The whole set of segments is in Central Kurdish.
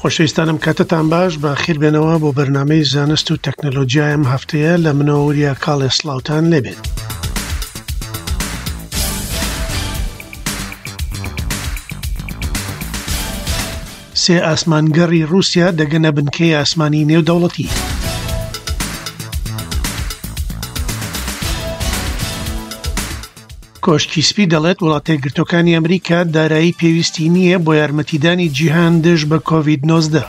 خۆشەویستانم کاتتان باش بە خیر بێنەوە بۆ بەرنامەی زانست و تەکنەلۆجیای ئەم هەفتەیە لە منەوە وریا کاڵێ سڵاوتان لێبێت. سێ ئاسمانگەڕی ڕووسیا دەگەنە بنکەی ئاسمانی نێودەوڵەتی. کۆشکی سپی دەڵێت وڵاتەیەکگرتووەکانی ئەمریکا دارایی پێویستی نییە بۆ یارمەتیدانی جیهان دژ بە کۆڤید 19.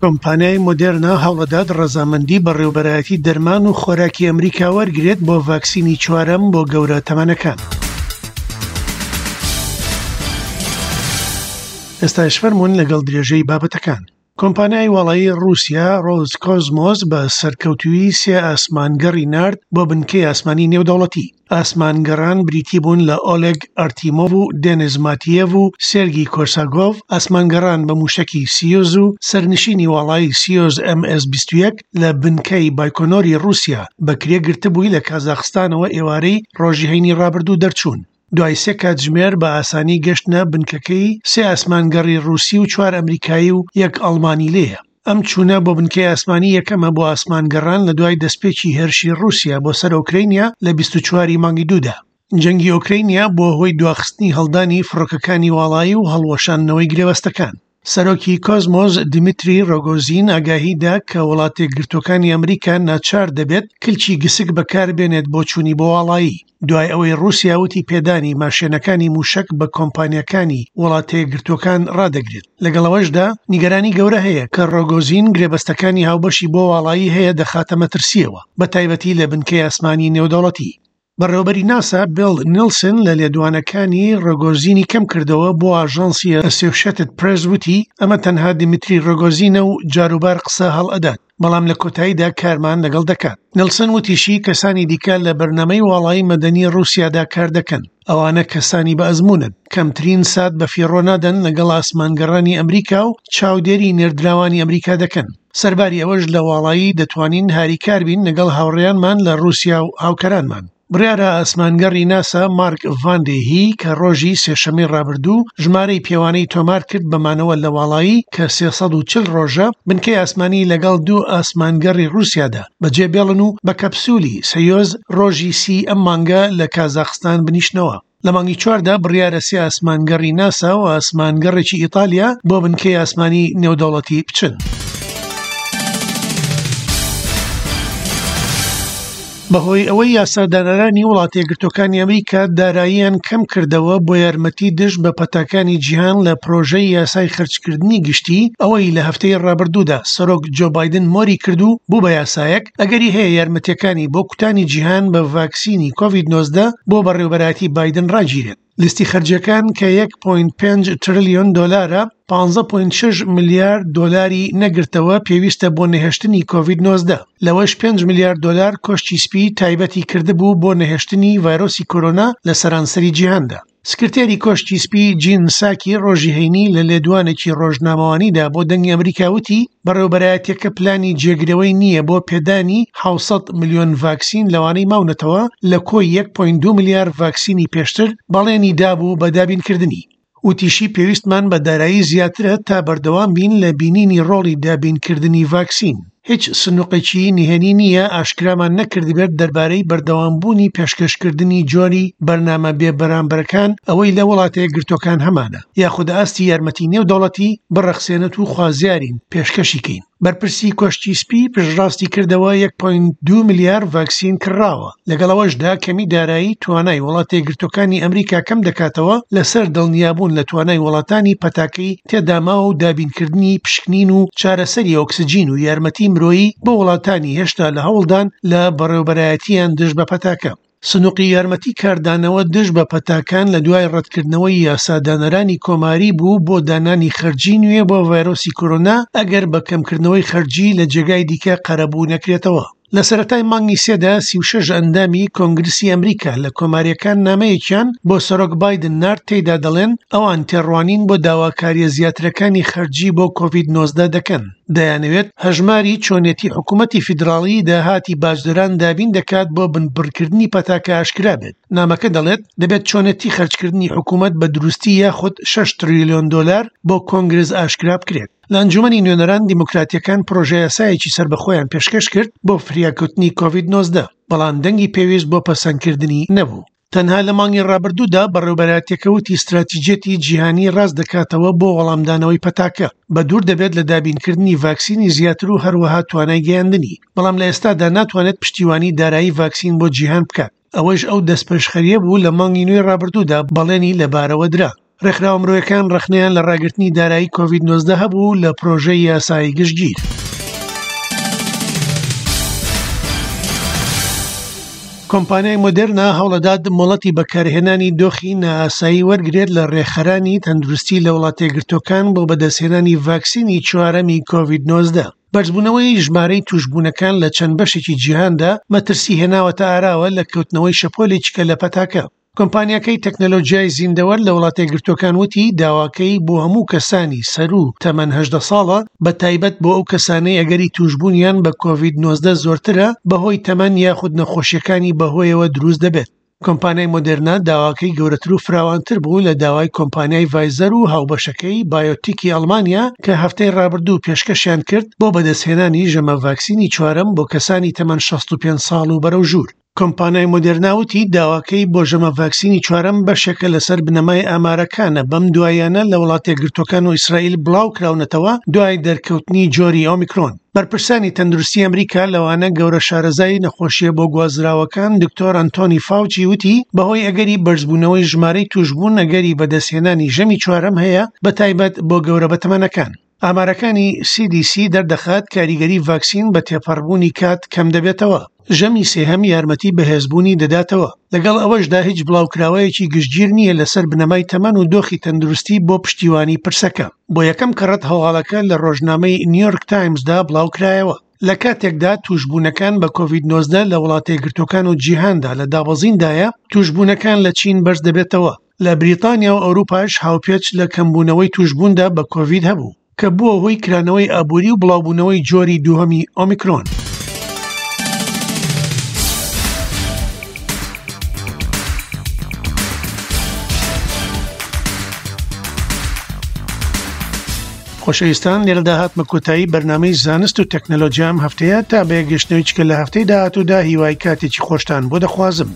کۆمپانیای مۆدێرنا هەوڵەدات ڕەزامەندی بەڕێوبەرایەتی دەرمان و خۆراکی ئەمریکا وەرگرێت بۆ ڤاکسینی چوارەم بۆ گەورە تەمەنەکان. ئێستاش فەرموون لەگەڵ درێژەی بابەتەکان. کۆمپانیای واڵایی ڕووسیا ڕۆزکۆزمۆس بە سەرکەوتوویی سێ ئاسمانگەڕی نارد بۆ بنکەی ئاسمانی نێودەوڵەتی. ئاسمانگەڕان بریتی بوون لە ئۆلێگ ئەرتیمۆڤ و دێنیس ماتیێڤ و سێرگی کۆرساگۆڤ، ئاسمانگەڕان بە مووشەکی سیۆز و سەرنشینی واڵایی سیۆز ئێم ئێس 21 لە بنکەی بایکۆنۆری ڕووسیا بە کرێ گرتبووی لە کازاخستانەوە ئێوارەی ڕۆژی هەینی ڕابردوو دەرچوون. دوای سێ کاتژمێر بە ئاسانی گەشتنە بنکەکەی سێ ئاسمانگەڕی ڕووسی و چوار ئەمریکایی و یەک ئەڵمانی لێیە. ئەم چوونە بۆ بنکەی ئاسمانی یەکەمە بۆ ئاسمانگەڕان لە دوای دەستپێکی هێرشی ڕووسیا بۆ سەر ئۆکرەینیا لە 24 ی مانگی دوودا. جەنگی ئۆکرەینیا بووە هۆی دواخستنی هەڵدانی فڕۆکەکانی واڵایی و هەڵوەشاندنەوەی گرێبەستەکان. سەرۆکی کۆزمۆس دیمیتری ڕۆگۆزین ئاگاهی دا کە وڵاتەیەکگرتووەکانی ئەمریکا ناچار دەبێت کلکی گسک بەکاربێنێت بۆ چوونی بۆ واڵایی، دوای ئەوەی ڕووسیا وتی پێدانی ماشێنەکانی مووشەک بە کۆمپانیاکانی وڵاتەیەکگرتووەکان ڕادەگرێت. لەگەڵ ئەوەشدا نیگەرانی گەورە هەیە کە ڕۆگۆزین گرێبەستەکانی هاوبەشی بۆ واڵایی هەیە دەخاتە مەترسییەوە، بەتایبەتی لە بنکەی ئاسمانی نێودەوڵەتی. بەڕێوەبەری ناسا بێڵ نیڵسن لە لێدوانەکانی ڕۆگۆزینی کەم کردەوە بۆ ئاژانسی ئەسۆشێتد پرێس وتی ئەمە تەنها دیمیتری ڕۆگۆزینە و جاروبار قسە هەڵئەدات بەڵام لە کۆتاییدا کارمان لەگەڵ دەکات. نیڵسن وتیشی کەسانی دیکە لە بەرنامەی واڵایی مەدەنی ڕووسیادا کار دەکەن، ئەوانە کەسانی بە ئەزموونن، کەمترین سات بەفیڕۆ نادەن لەگەڵ ئاسمانگەڕانی ئەمریکا و چاودێری نێردراوانی ئەمریکا دەکەن. سەرباری ئەوەش لە واڵایی دەتوانین هاریکار بین لەگەڵ هاوڕێیانمان لە ڕووسیا و هاوکارانمان. بڕیارە ئاسمانگەڕی ناسا مارک ڤان دێ هێی کە ڕۆژی سێشەممەی ڕابردوو ژمارەی پێوانەی تۆمار کرد بە مانەوە لە واڵایی کە 340 ڕۆژە بنکەی ئاسمانی لەگەڵ دوو ئاسمانگەڕی ڕووسیادا بەجێ بێڵن و بە کەپسولی سەیۆز ڕۆژی سی ئەم مانگە لە کازاخستان بنیشنەوە. لە مانگی چواردا بڕیارە سێ ئاسمانگەڕی ناسا و ئاسمانگەڕێکی ئیتالیا بۆ بنکەی ئاسمانی نێودەوڵەتی بچن. بەهۆی ئەوەی یاسادانەرانی وڵاتە یەکگرتووەکانی ئەمریکا داراییان کەم کردەوە بۆ یارمەتی دژ بە پەتاکانی جیهان لە پرۆژەی یاسای خەرجکردنی گشتی ئەوەی لە هەفتەی ڕابردوودا سەرۆک جۆ بایدن مۆری کرد و بوو بە یاسایەک ئەگەری هەیە یارمەتیەکانی بۆ کوتانی جیهان بە ڤاکسینی کۆڤید 19 بۆ بەڕێوبەرایەتی بایدن ڕاگیرێت. لیستی خەرجیەکان کە 1.5 ترلیۆن دۆلارە، 15.6 ملیار دۆلاری نەگرتەوە پێویستە بۆ نەهێشتنی کۆڤید 19. لەوەش 5 ملیار دۆلار کۆشکی سپی تایبەتی کردبوو بۆ نەهێشتنی ڤایرۆسی کۆرۆنا لە سەرانسەری جیهاندا. سکرتێری کۆشکی سپی جین ساکی ڕۆژی هەینی لە لێدوانێکی ڕۆژنامەوانیدا بۆ دەنگی ئەمریکا وتی بەڕێوبەرایەتیەکە پلانی جێگرەوەی نییە بۆ پێدانی 700 ملیۆن ڤاکسین لەوانەی ماونەتەوە لە کۆی 1.2 ملیار ڤاکسینی پێشتر بەڵێنی دابوو بە دابینکردنی. وتیشی پێویستمان بە دارایی زیاترە تا بەردەوام بین لە بینینی ڕۆڵی دابینکردنی ڤاکسین. هیچ سندوقێکی نهێنی نییە ئاشکرامان نەکردبێت دەربارەی بەردەوامبوونی پێشکەشکردنی جۆری بەرنامە بێ بەرامبەرەکان ئەوەی لە وڵاتە یەکگرتووەکان هەمانە یاخود ئاستی یارمەتی نێودەوڵەتی بڕەخسێنێت و خوازیارین پێشکەشی کەین. بەرپرسی کۆشکی سپی پشتڕاستی کردەوە 1.2 ملیار ڤاکسین کڕاوە، لەگەڵ ئەوەشدا کەمی دارایی توانای وڵاتە یەکگرتووەکانی ئەمریکا کەم دەکاتەوە لەسەر دڵنیابوون لە توانای وڵاتانی پەتاکەی تێداماوە و دابینکردنی پشکنین و چارەسەری ئۆکسجین و یارمەتی مرۆیی بۆ وڵاتانی هێشتا لە هەوڵدان لە بەڕێوبەرایەتیان دژ بە پەتاکە. سندوقی یارمەتی کاردانەوە دژ بە پەتاکان لە دوای ڕەتکردنەوەی یاسادانەرانی کۆماری بوو بۆ دانانی خەرجی نوێ بۆ ڤایرۆسی کۆرۆنا ئەگەر بە کەمکردنەوەی خەرجی لە جێگای دیکە قەرەبوو نەکرێتەوە. لە سەرەتای مانگی سێدا 36 ئەندامی کۆنگرسی ئەمریکا لە کۆمارییەکان نامەیەکیان بۆ سەرۆک بایدن نارد تێیدا دەڵێن ئەوان تێڕوانین بۆ داواکارییە زیاترەکانی خەرجی بۆ کۆڤید 19 دەکەن. دەیانەوێت هەژماری چۆنێتی حکوومەتی فیدراڵی داهاتی باجدەران دابین دەکات بۆ بنبڕکردنی پەتاکە ئاشکرا بێت. نامەکە دەڵێت دەبێت چۆنێتی خەرجکردنی حکوومەت بە دروستی یاخود 6 تریلیۆن دۆلار بۆ کۆنگرس ئاشکرا بکرێت. لە ئەنجومەنی نوێنەران دیموکراتیەکان پرۆژەیاسایەکی سەربەخۆیان پێشکەش کرد بۆ فریاکەوتنی کۆڤید 19 بەڵام دەنگی پێویست بۆ پەسەندکردنی نەبوو. تەنها لە مانگی ڕابردوودا بەڕێوبەرایەتیەکە وتی ستراتیجیەتی جیهانی ڕاست دەکاتەوە بۆ وەڵامدانەوەی پەتاکە، بەدوور دەبێت لە دابینکردنی ڤاکسینی زیاتر و هەروەها توانای گەیاندنی، بەڵام لە ئێستادا ناتوانێت پشتیوانی دارایی ڤاکسین بۆ جیهان بکات. ئەوەیش ئەو دەستپێشخەرییە بوو لە مانگی نۆی ڕابردوودا بەڵێنی لەبارەوە درا. ڕێکخراوە مرۆیەکان ڕەخنەیان لە ڕاگرتنی دارایی کۆڤید 19 هەبوو لە پرۆژەی یاسایی گشتگیر. کۆمپانیای مۆدێرنا هەوڵەدات مۆڵەتی بەکارهێنانی دۆخی نائاسایی وەرگرێت لە ڕێکخەرانی تەندروستی لە وڵاتەیەکگرتووەکان بۆ بەدەستهێنانی ڤاکسینی چوارەمی کۆڤید 19. بەرزبوونەوەی ژمارەی تووشبوونەکان لە چەند بەشێکی جیهاندا مەترسی هێناوەتە ئاراوە لە کەوتنەوەی شەپۆلێکی کە لە پەتاکە. کۆمپانیاکەی تەکنەلۆجیای زیندەوەر لە وڵاتەیەکگرتووەکان وتی داواکەی بۆ هەموو کەسانی سەروو تەمەن 18 ساڵە بە تایبەت بۆ ئەو کەسانەی ئەگەری تووشبوونیان بە کۆڤید 19 زۆرترە بەهۆی تەمەن یاخود نەخۆشیەکانی بەهۆیەوە دروست دەبێت. کۆمپانیای مۆدێرنا داواکەی گەورەتر و فراوانتر بوو لە داوای کۆمپانیای ڤایزەر و هاوبەشەکەی بایۆتیکی ئەڵمانیا کە هەفتەی ڕابردوو پێشکەشیان کرد بۆ بەدەستهێنانی ژەمە ڤاکسینی چوارەم بۆ کەسانی تەمەن 65 ساڵ و بەرەو ژوور. کۆمپانیای مۆدێرنا وتی داواکەی بۆ ژەمە ڤاکسینی چوارەم بەشێکە لەسەر بنەمای ئامارەکانە بەم دواییانە لە وڵاتەیەکگرتووەکان و ئیسرائیل بڵاوکراونەتەوە دوای دەرکەوتنی جۆری ئۆمیکرۆن. بەرپرسانی تەندروستی ئەمریکا لەوانە گەورە شارەزای نەخۆشیە بۆ گوازراوەکان دکتۆر ئەنتۆنی فاوچی وتی بەهۆی ئەگەری بەرزبوونەوەی ژمارەی توشبوون ئەگەری بەدەستهێنانی ژەمی چوارەم هەیە بەتایبەت بۆ گەورە بەتەمەنەکان. ئامارەکانی CDC دەردەخات کاریگەری ڤاکسین بە تێپەڕبوونی کات کەم دەبێتەوە. ژەمی سێهەم یارمەتی بەهێزبوونی دەداتەوە. لەگەڵ ئەوەشدا هیچ بڵاوکراوەیەکی گشتگیر نییە لەسەر بنەمای تەمەن و دۆخی تەندروستی بۆ پشتیوانی پرسەکە. بۆ یەکەم کەڕەت هەواڵەکە لە ڕۆژنامەی نیویۆرک تایمزدا بڵاوکرایەوە. لە کاتێکدا تووشبوونەکان بە کۆڤید 19 لە وڵاتەیەکگرتووەکان و جیهاندا لە دابەزیندایە، تووشبوونەکان لە چین بەرز دەبێتەوە. لە بریتانیا و ئەوروپاش هاوپێچ لە کەمبوونەوەی تووشبووندا بە کۆڤید هەبوو، کە بووە هۆی کرانەوەی ئابووری و بڵاوبوونەوەی جۆری دووهەمی ئۆمیکرۆن. خۆشەویستان لێرەدا هاتمە کۆتایی بەرنامەی زانست و تەکنەلۆجیا ئەم هەفتەیە تا بەیەکگەشتنەوەی چکە لە هەفتەی داهاتوودا هیوای کاتێکی خۆشتان بۆ دەخوازم.